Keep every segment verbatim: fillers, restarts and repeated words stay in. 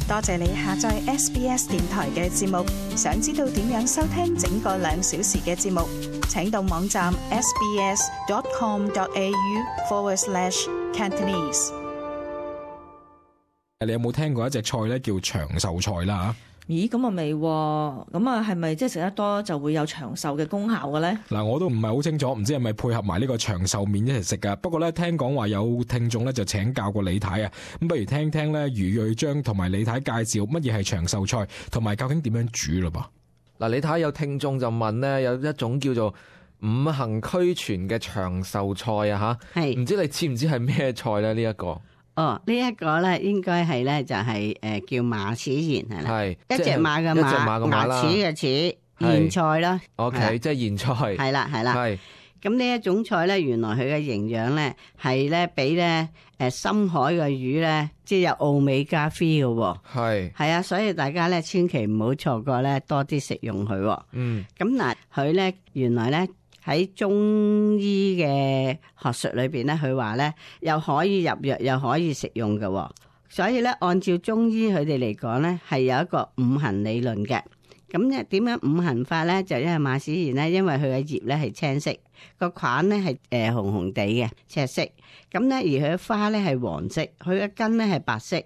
多謝你下載 S B S 電台嘅節目。想知道點樣收聽整個兩小時嘅節目，請到網站 sbs.com.au forward slash Cantonese。你有冇聽過一隻菜咧叫長壽菜啦？咦，咁啊未喎，咁啊係咪即係食得多就會有長壽嘅功效嘅咧？嗱，我都唔係好清楚，唔知係咪配合埋呢個長壽麵一齊食噶。不過咧，聽講話有聽眾咧就請教過李太啊，咁不如聽聽咧余瑞章同埋李太介紹乜嘢係長壽菜，同埋究竟點樣煮咯噃。嗱，你睇下有聽眾就問咧，有一種叫做五行俱全嘅長壽菜啊吓，係唔知你知唔知係咩菜咧？呢一個哦，呢、這、一個咧應該係咧就係、是、誒、呃、叫馬齒莧係啦，係一隻馬嘅馬，牙齒嘅齒，莧菜啦。O K， 即係莧菜。係啦係啦。係咁呢一種菜咧，原來佢嘅營養咧係咧比咧誒深海嘅魚咧，即係有奧美加三嘅喎。係係啊，所以大家咧千祈唔好錯過咧，多啲食用佢。嗯。咁嗱，佢咧原來咧。喺中醫嘅學術裏邊咧，佢話咧又可以入藥，又可以食用嘅，所以咧按照中醫佢哋嚟講咧，係有一個五行理論嘅。咁咧點樣五行法咧？就因為馬齒莧咧，因為佢嘅葉咧係青色，個梗咧係誒紅紅地嘅赤色，咁咧而佢嘅花咧係黃色，佢嘅根咧係白色，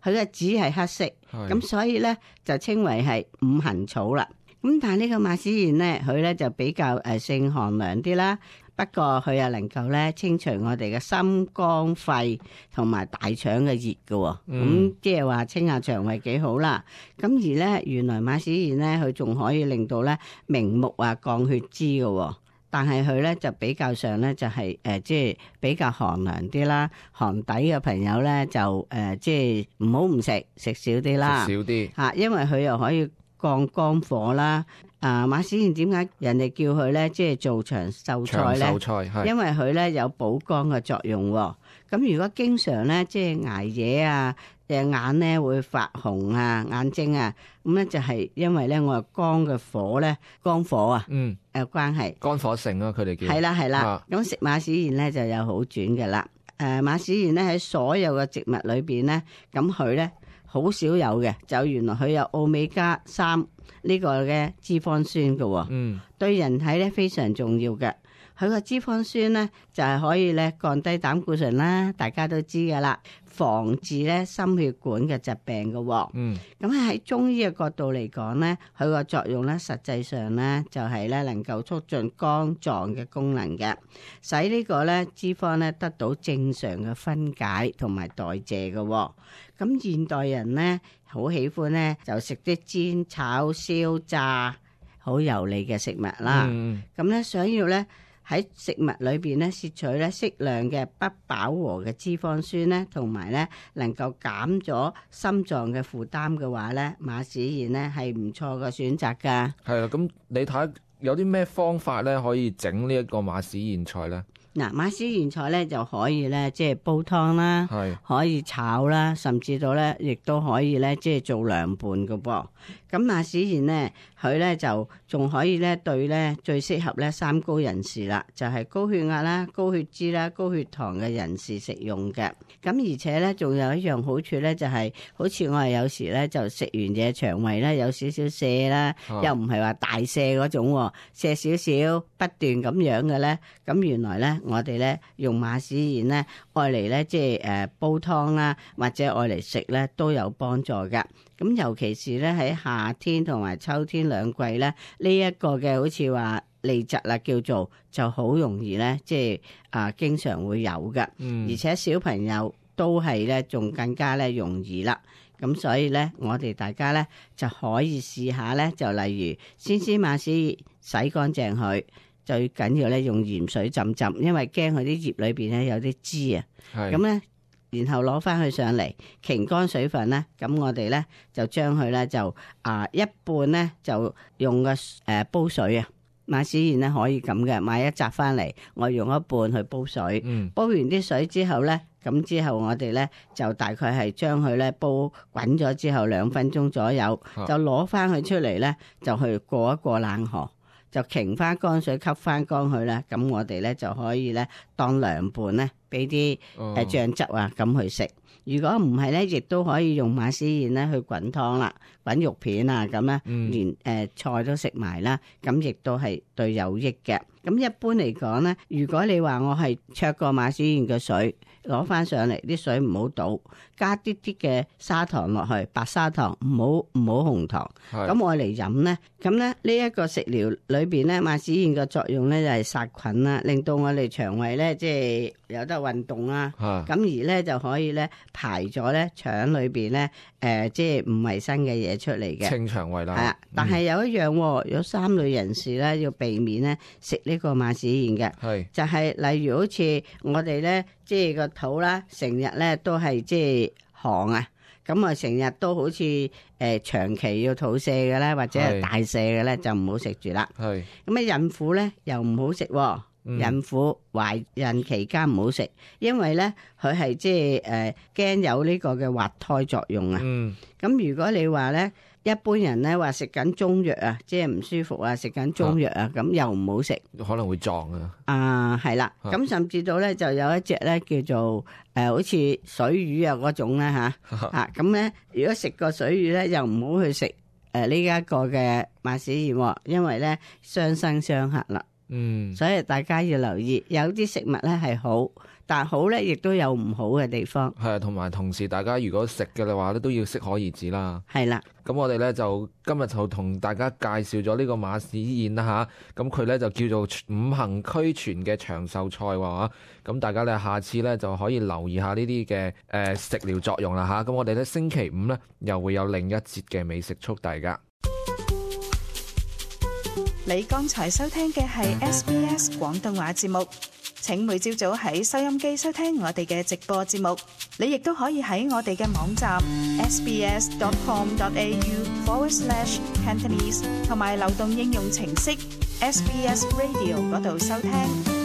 佢嘅籽係黑色，咁所以咧就稱為係五行草啦。咁但係呢個馬齒莧咧，佢咧就比較誒性寒涼啲啦。不過佢又能夠咧清除我哋嘅心肝肺同埋大腸嘅熱嘅，咁即係話清下腸胃幾好啦。咁而咧原來馬齒莧咧，佢仲可以令到咧明目啊降血脂嘅。但係佢咧就比較上咧就係誒即係比較寒涼啲啦。寒底嘅朋友咧就誒即係唔好唔食，食少啲啦，食少啲嚇，因為佢又可以降肝火啦，啊馬齒莧點解人哋叫佢咧，即係做長壽菜咧？長壽菜係因為佢咧有補肝嘅作用。咁如果經常咧即係捱夜啊，誒眼咧會發紅啊，眼睛啊，咁咧就係因為咧我肝嘅火咧，肝火啊，嗯誒關係。肝火盛啊，佢哋叫。係啦係啦，咁食馬齒莧咧就有好轉嘅啦。誒馬齒莧咧喺所有嘅植物裏邊咧，咁佢咧。好少有嘅，就原來佢有奧美加三呢個嘅脂肪酸嘅，嗯，對人體咧非常重要嘅。佢個脂肪酸咧就係可以咧降低膽固醇啦，大家都知噶啦，防治咧心血管嘅疾病嘅。嗯，咁喺中醫嘅角度嚟講咧，佢個作用咧實際上咧就係咧能夠促進肝臟嘅功能嘅，使呢個咧脂肪咧得到正常嘅分解同埋代謝嘅。咁現代人咧好喜歡咧就食啲煎、炒、燒、炸好油膩嘅食物啦。咁咧、嗯、想要咧喺食物裏邊咧攝取咧適量嘅不飽和嘅脂肪酸咧，同埋咧能夠減咗心臟嘅負擔嘅話咧，馬齒莧咧係唔錯嘅選擇㗎。係啊，咁你睇有啲咩方法咧可以整呢一個馬齒莧菜咧？嗱，馬齒莧菜咧就可以咧，即係煲湯啦，係可以炒啦，甚至到咧，亦都可以咧，即係做涼拌嘅噃。咁馬齒莧咧，佢咧就仲可以咧對咧最適合咧三高人士啦，就係高血壓啦、高血脂啦、高血糖嘅人士食用嘅。咁而且咧，仲有一樣好處咧，就係好似我哋有時咧就食完嘢腸胃咧有少少瀉啦，又唔係話大瀉嗰種，瀉少少不斷咁樣嘅咧，咁原來咧。我哋咧用馬齒莧咧，愛嚟咧即係誒煲湯啦，或者愛嚟食咧都有幫助㗎。咁尤其是咧喺夏天同埋秋天兩季咧，呢一個嘅好似話痢疾啦，叫做就好容易咧，即係啊經常會有㗎。嗯，而且小朋友都係咧，仲更加咧容易啦。咁所以咧，我哋大家咧就可以試下咧，就例如先先馬齒莧洗乾淨佢。最緊要咧用鹽水浸浸，因為驚佢啲葉裏邊咧有啲汁啊。咁咧是，然後攞翻去上嚟，擎乾水分咧，咁我哋咧就將佢咧就啊一半咧就用個誒煲水啊，馬齒莧咧可以咁嘅，買一紮翻嚟，我用一半去煲水。嗯，煲完啲水之後咧，咁之後我哋咧就大概係將佢咧煲滾咗之後兩分鐘左右，就攞翻佢出嚟咧，就去過一過冷河。就擎翻乾水吸翻乾佢啦，咁我哋咧就可以咧當涼拌咧俾啲誒醬汁啊咁去食。如果唔係咧，亦都可以用馬齒莧咧去滾湯啦，滾肉片啊咁咧，連誒、呃、菜都食埋啦，咁亦都係對有益嘅。咁一般嚟講咧，如果你話我係焯過馬齒莧嘅水，攞翻上嚟啲水唔好倒，加啲啲嘅砂糖落去，白砂糖，唔好唔好紅糖。咁我嚟飲咧，咁咧呢一個食療裏邊咧，馬齒莧嘅作用咧就係殺菌啦，令到我哋腸胃咧即係有得運動啦。咁而咧就可以咧排咗咧腸裏邊咧誒即係唔衛生嘅嘢出嚟嘅，清腸胃啦。係啊，但係有一樣、哦，有三類人士咧要避免咧食呢個馬齒莧嘅，係就係例如好似我哋咧即係個肚啦，成日咧都係即係寒啊，咁啊成日都好似誒、呃、長期要肚瀉嘅咧，或者係大瀉嘅咧，就唔好食住啦。係咁啊，孕婦咧又唔好食、哦，嗯、孕婦懷孕期間唔好食，因為咧佢係即係誒驚有呢個嘅滑胎作用啊。嗯，咁如果你話咧。一般人咧話食緊中藥啊，即係唔舒服啊，食緊中藥啊，咁、啊、又唔好食，可能會撞啊。啊，係啦，咁、啊、甚至到咧就有一隻咧叫做誒、呃，好似水魚啊嗰種咧吓吓，咁咧如果食過水魚咧，又唔好去食誒呢一個嘅馬齒莧，因為咧傷身傷客啦。嗯，所以大家要留意，有啲食物咧係好，但好咧亦都有唔好嘅地方。係啊，同埋同時，大家如果食嘅話咧，都要適可而止啦。係啦，咁我哋咧就今日就同大家介紹咗呢個馬齒莧啦吓，咁佢咧就叫做五行俱全嘅長壽菜喎，咁大家咧下次咧就可以留意下呢啲嘅誒食療作用啦吓，咁我哋咧星期五咧又會有另一節嘅美食速遞噶。你剛才收聽嘅係 S B S 廣東話節目，請每朝早喺收音機收聽我哋嘅直播節目。你亦都可以喺我哋嘅網站 sbs dot com dot a u forward slash cantonese 同埋流動應用程式 S B S Radio 嗰度收聽。